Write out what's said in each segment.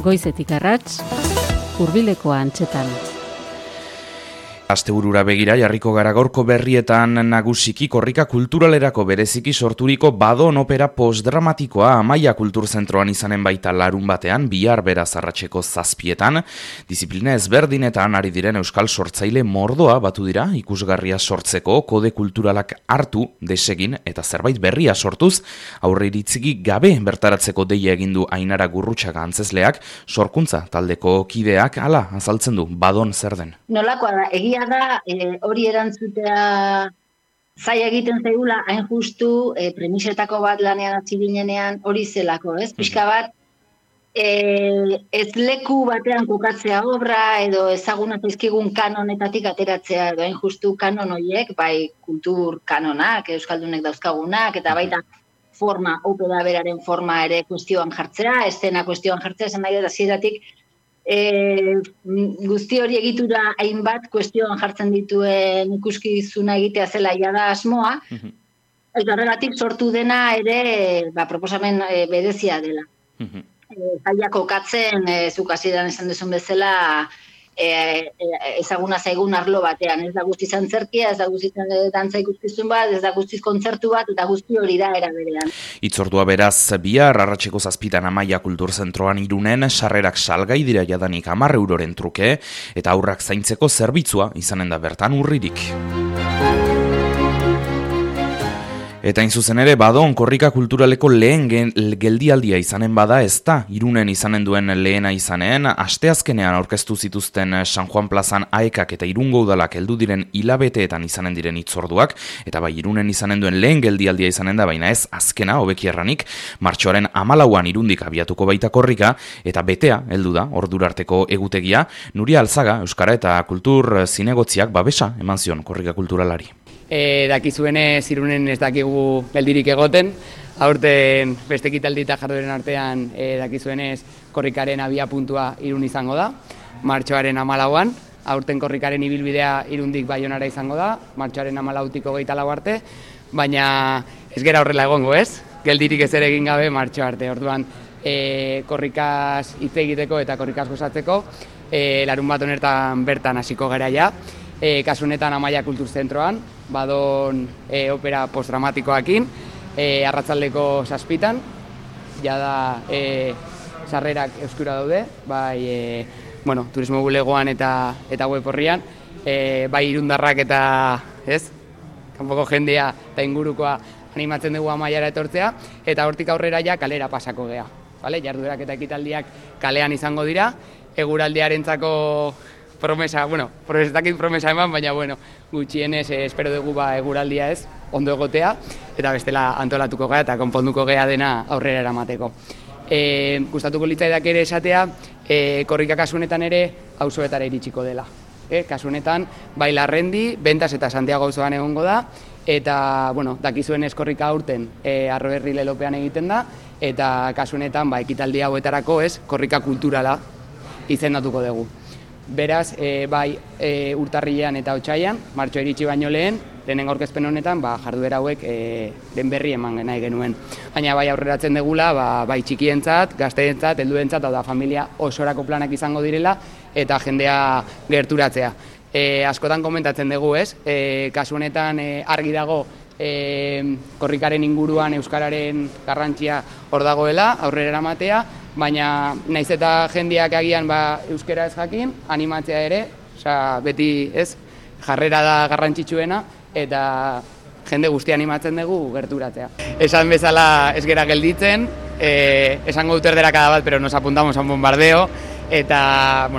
Goizetik arrats, hurbileko antxetan. Asteburura begira jarriko gara gaurko berrietan nagusiki korrika kulturalerako bereziki sorturiko Badon opera postdramatikoa Amaia Kulturzentroan izanen baita larun batean, bihar beraz arratseko 7:00, disiplina ezberdinetan ari diren euskal sortzaile mordoa batu dira ikusgarria sortzeko, kode kulturalak hartu, desegin eta zerbait berria sortuz, aurreiritzi gabe bertaratzeko deia egin du Ainara Gurrutxaga antzezleak, sorkuntza taldeko kideak hala azaltzen du Badon zer den. Nolakoa da, egia da, hori erantzutea zaila egiten zaigula, hain justu, premisetako bat lanean hasi ginenean hori zelako, ez? Pixka bat, ez leku batean kokatzea obra, edo ezaguna zaizkigun kanonetatik ateratzea, edo hain justu kanon horiek, bai kultur kanonak, euskaldunek dauzkagunak, eta baita forma, opera beraren forma ere kuestioan jartzea, eszena kuestioan jartzea, esan nahi dut hasieratik, guzti hori egitura hainbat kuestioan jartzen dituen ikuskizuna egitea zela jada asmoa, eta horregatik sortu dena ere proposamen berezia dela. Zaila kokatzen, zuk hasieran esan duzun bezala, ezaguna zaigun arlo batean, ez da guztiz antzerkia, ez da guztiz dantza ikuskizun bat, ez da guztiz kontzertu bat, eta guzti hori da era berean. Hitzordua beraz bihar arratseko 7:00 Amaia Kulturzentroan Irunen, sarrerak salgai dira jadanik 10 euroren truke, eta haurrak zaintzeko zerbitzua izanen da bertan urririk. Eta hain zuzen ere, Badon korrika kulturaleko lehen geldialdia izanen bada ez da, Irunen izanen duen lehena izanen, asteazkenean aurkeztu zituzten San Juan plazan aekak eta Irungo udalak heldu diren hilabeteetan izanen diren hitzorduak, eta bai Irunen izanen duen lehen geldialdia izanen da, baina ez azkena, hobeki erranik, martxoaren 14an Irundik abiatuko baita korrika, eta betea heldu da, ordurarteko egutegia, Nuria Alzaga, Euskara eta Kultur Zinegotziak babesa eman zion korrika kulturalari. Dakizuenez Irunen ez dakigu geldirik egoten, aurten beste ekitaldi eta jardueren artean dakizuenez korrikaren abia puntua Irun izango da, martxoaren 14an, aurten korrikaren ibilbidea Irundik Baionara izango da, martxoaren 14tik 24 arte, baina ez gera horrela egongo ez, geldirik ez ere egin gabe martxo arte, orduan korrikaz hitz egiteko eta korrikaz gozatzeko, larun bat honetan bertan hasiko gara ja, kasu honetan Amaia Kulturzentroan, Badon opera postdramatikoakin, arratsaldeko 7:00, jada sarrerak euskara daude, bai turismo bulegoan eta web horrian, bai irundarrak eta kanpoko jendea eta ingurukoa animatzen dugu Amaiara etortzea, eta hortik aurrera ja kalera pasako gea. Jarduerak eta ekitaldiak kalean izango dira, eguraldiarentzako promesa eman, baina gutxienez espero dugu eguraldia ez, ondo egotea, eta bestela antolatuko gea eta konponduko gea dena aurrera eramateko. Gustatuko litzaidak ere esatea, korrika kasunetan ere auzoetara iritsiko dela. Kasunetan, bai Larrendi, Bentas eta Santiago auzoan egongo da, eta dakizuenez korrika aurten Arroberri lelopean egiten da, eta kasunetan ekitaldi hauetarako korrika kulturala izendatuko dugu. Beraz, bai urtarrilean eta otsailean, martxoa iritsi baino lehenengo aurkezpen honetan, jarduera hauek den berri eman nahi genuen. Baina bai aurreratzen degula, bai txikientzat, gazteentzat, helduentzat, da familia osorako planak izango direla, eta jendea gerturatzea. Askotan komentatzen dugu kasu honetan argi dago korrikaren inguruan euskararen garrantzia hor dagoela, aurrera eramatea, baina naiz eta jendeak agian euskara ez jakin, animatzea ere, beti jarrera da garrantzitsuena, eta jende guztia animatzen dugu gerturatzea. Esan bezala ez gera gelditzen, esango dut erderakada bat, pero nos apuntamos a un bombardeo, eta,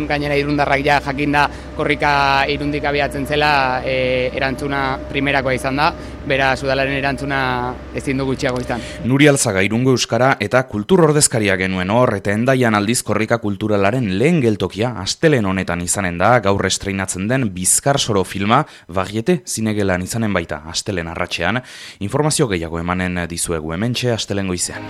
gainera irundarrak ja jakinda korrika Irundik abiatzen zela erantzuna primerakoa izan da, beraz udalaren erantzuna ezin du gutxiago izan. Nuria Alzaga Irungo Euskara eta kultur ordezkaria genuen hor, eta Hendaian aldiz korrika kulturalaren lehen geltokia astelen honetan izanen da, gaur estreinatzen den Bizkar Soro filma Varieté zinegelan izanen baita astelen arratsean. Informazio gehiago emanen dizuegu hementxe astelen goizean.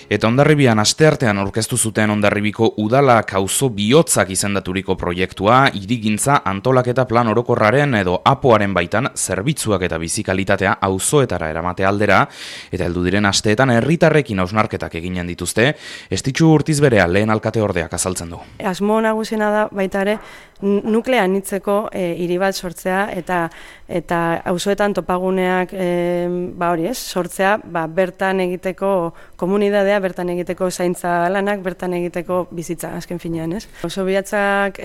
Eta Hondarribian asteartean aurkeztu zuten Hondarribiko udalak auzo bihotzak izendaturiko proiektua, hirigintza antolaketa plan orokorraren edo APOaren baitan zerbitzuak eta bizikalitatea auzoetara eramate aldera, eta heldu diren asteetan herritarrekin hausnarketak eginen dituzte, Estitxu Urtizberea lehen alkateordeak azaltzen du. Asmo nagusiena da baita ere nuklea anitzeko hiri bat sortzea eta auzoetan topaguneak sortzea, bertan egiteko komunitatea, bertan egiteko zaintza lanak, bertan egiteko bizitza azken finean, ez? Auzo bihotzak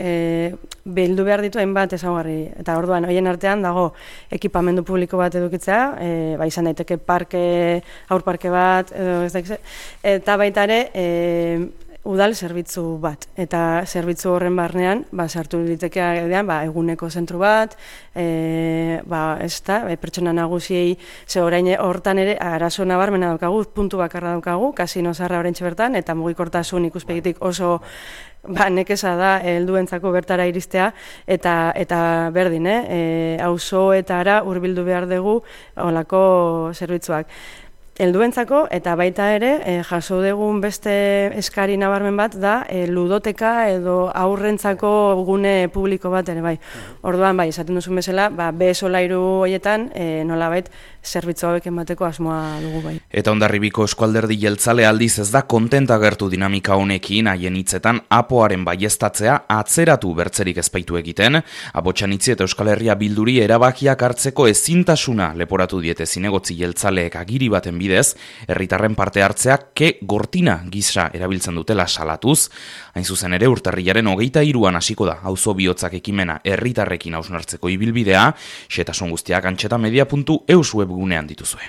bildu behar ditu hainbat ezaugarri, eta orduan horien artean dago ekipamendu publiko bat edukitzea, izan daiteke aurparke bat, eta baita ere udal zerbitzu bat, eta zerbitzu horren barnean sartu litekea eguneko zentru bat, pertsona nagusiei, ze orain hortan ere arazo nabarmena daukagu, puntu bakarra daukagu, kasino zaharra oraintxe bertan, eta mugikortasun ikuspegitik oso nekeza da helduentzako bertara iristea, eta berdin, auzoetara hurbildu behar dugu holako zerbitzuak. Helduentzako eta baita ere jaso dugun beste eskari nabarmen bat da ludoteka edo aurrentzako gune publiko bat ere bai. Orduan esaten duzun bezala, B solairu horietan nolabait zerbitzu hauek emateko asmoa dugu bai. Eta Hondarribiko Eskualderdi Jeltzale aldiz ez da kontenta gertu dinamika honekin, haien hitzetan APOaren baieztatzea atzeratu bertzerik ezpaitu egiten, Abotxanitzi eta Euskal Herria Bilduri erabakiak hartzeko ezintasuna leporatu diete zinegotzi jeltzaleek agiri baten bidez, herritarren parte hartzea gortina gisa erabiltzen dutela salatuz, hain zuzen ere urtarrilaren 23an hasiko da auzo bihotzak ekimena herritarrekin hausnartzeko ibilbidea, xehetasun guztiak antxetamedia.eus webgunean dituzue.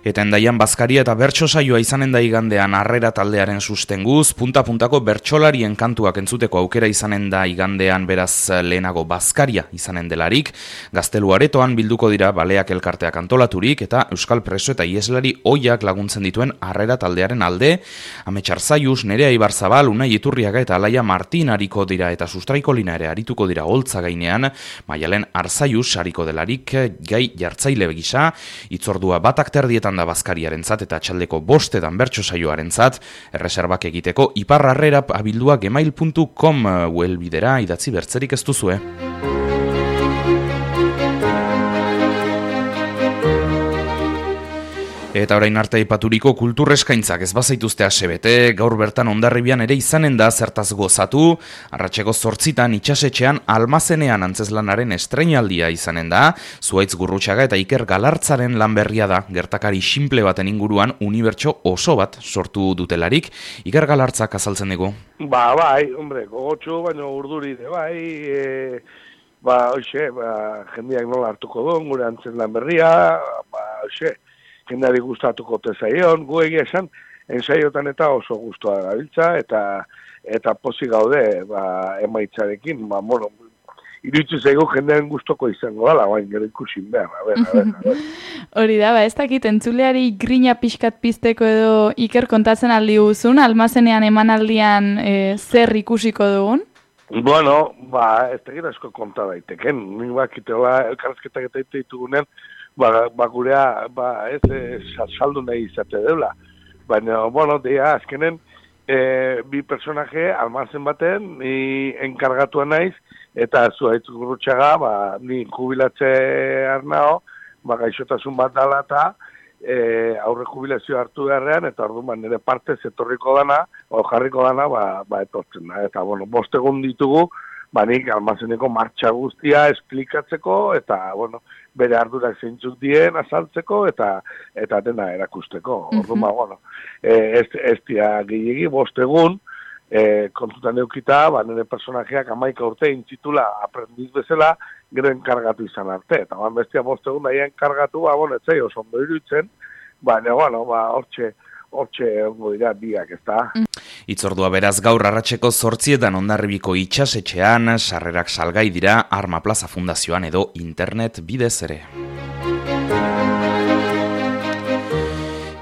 Eta Hendaian bazkaria eta bertso saioa izanen da igandean Harrera taldearen sustenguz, punta-puntako bertsolarien kantuak entzuteko aukera izanen da igandean beraz lehenago bazkaria izanen delarik, Gaztelu Aretoan bilduko dira baleak elkarteak antolaturik eta Euskal Preso eta Ieslari ohiak laguntzen dituen Harrera taldearen alde, Amets Arzaius, Nerea Ibarzabal, Unai Iturriaga eta Alaia Martin ariko dira eta Sustraikolina ere arituko dira holtza gainean, Maialen Arzaius ariko delarik gai jartzaile gisa, hitzordua batak terdietan da bazkariarentzat eta txaldeko 5 bertso saioarentzat, erreserbak egiteko iparrarrera abildua gmail.com webidera idatzi bertzerik ez duzue. Eta orain arte aipaturiko kultur eskaintzak ez bazaituzte asebete, gaur bertan Hondarribian ere izanen da zertaz gozatu, arratseko 8 itsasetxean Almazenean antzezlanaren estreinaldia izanen da, Zuhaitz Gurrutxaga eta Iker Galartzaren lan berria da, gertakari simple baten inguruan unibertso oso bat sortu dutelarik, Iker Galartzak azaltzen dugu. Gogotxu, baina urduri, jendeak nola hartuko duen, gure antzezlan berria, jendeari gustatuko tezaion, gu egia esan, ensaiotan eta oso gustua gabiltza, eta pozik gaude emaitzarekin, iritsi zaigu jendearen gustoko izango dala, gero ikusin behar, Hori da, ez dakit, entzuleari grina pixkat pizteko edo Iker kontatzen aldi guzun, Almazenean emanaldian zer ikusiko dugun? Ez dakit asko konta daiteken, nik bakiteola elkarrezketak eta ditugunean, gurea, saldu nahi izate deula. Baina, azkenen, bi personaje, Almazen baten, ni enkargatua naiz, eta Zuhaitz Gurrutxaga, ni jubilatze arnao, gaixotasun bat dala eta aurre jubilazio hartu beharrean, eta orduan nire partez etorriko dana, jarriko dana, etortzen da. Eta, 5 egun ditugu, nik Almazeneko martxa guztia esplikatzeko, eta, bere ardurak zeintzuk dien azaltzeko, eta dena erakusteko. Orduan, ez dira gehiegi, 5 egun, kontutan eukita, nire personajeak 11 urte intzitula aprendiz bezala, gero enkargatu izan arte. Eta bestia 5 egun daia enkargatu, ez zaio oso ondo iruditzen, baina, hortxe ongo dira biak, ez da. Hitzordua beraz gaur arratseko 8 Hondarribiko itsasetxean, sarrerak salgai dira Arma Plaza Fundazioan edo internet bidez ere.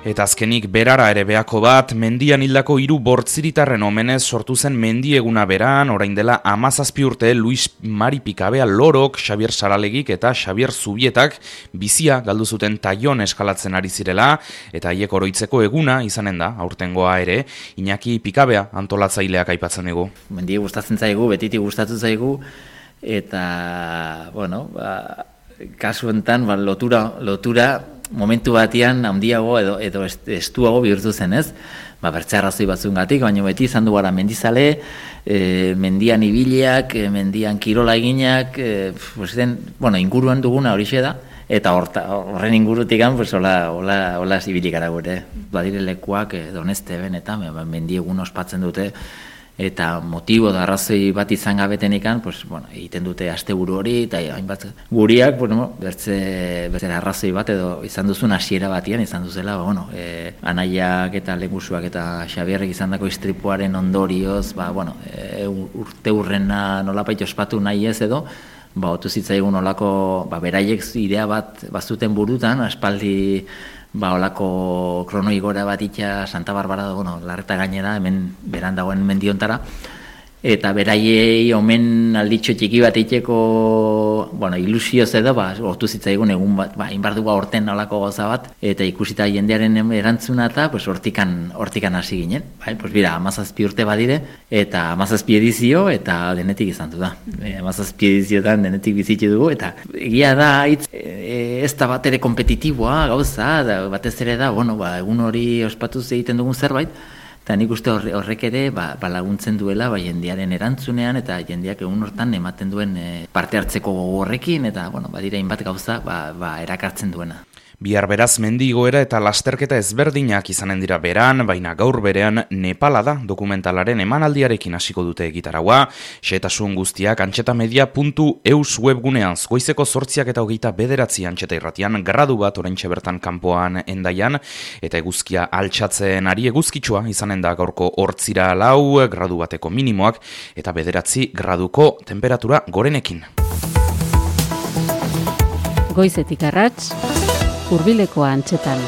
Eta azkenik berara ere beako bat, mendian hildako 3 bortziritarren omenez sortu zen mendieguna beran, orain dela 17 urte Luis Mari Pikabea Lorok, Xabier Saralegik eta Xabier Zubietak bizia galdu zuten Taion eskalatzen ari zirela, eta haiek oroitzeko eguna izanen da, aurtengoa ere, Iñaki Pikabea antolatzaileak aipatzen dugu. Mendia gustatzen zaigu, betitik gustatzen zaigu, eta, bueno, kasu enten, lotura momentu batean handiago edo estuago bihurtu zen, ez? Bertze arrazoi batzungatik, baina beti izan du gara mendizale, mendian ibiliak, mendian kirola eginak, inguruan duguna horixe da, eta horren ingurutik hola zibilik gara gure. Badire lekuak Doneste benetan, mendiegun ospatzen dute, eta motibo da arrazoi bat izan gabetenikan, egiten dute asteburu hori, eta hainbat guriak, bertze arrazoi bat edo izan duzun hasiera batian, izan duzela, anaiak eta lengusuak eta Xabierrek izan dako istripuaren ondorioz, urte hurrena nolapait ospatu nahi ez edo, otu zitzaigun olako, beraiek idea bat bazuten burutan, aspaldi olako kronoigora bat itxa Santa Barbara da, Larreta gainera, hemen beran dagoen mendiontara, eta beraiei omen alditxo txiki bat itxeko, ilusioz edo, ortu zitzaigun egun bat, inbarduga horten olako goza bat, eta ikusita jendearen erantzuna eta hortikan hasi ginen. Bira, 17 urte badire, eta 17 edizio, eta denetik izan du da. 17 ediziotan denetik bizitze dugu, eta egia da, ez da bat ere kompetitiboa gauza, batez ere da, egun hori ospatuz egiten dugun zerbait, eta nik uste horrek ere laguntzen duela jendearen erantzunean eta jendeak egun hortan ematen duen parte hartzeko gogo horrekin eta badira hainbat gauza erakartzen duena. Bihar beraz mendigoera eta lasterketa ezberdinak izanen dira beran, baina gaur berean Nepala da dokumentalaren emanaldiarekin hasiko dute egitaraua. Xehetasun guztiak antxetamedia.eus webgunean goizeko 8:29 Antxeta Irratian gradu bat oraintxe bertan kanpoan Hendaian, eta eguzkia altxatzen ari eguzkitsua izanen da gaurko 8 gradu bateko minimoak eta 9 graduko temperatura gorenekin. Goizetik arrats, Hurbileko Antxetan.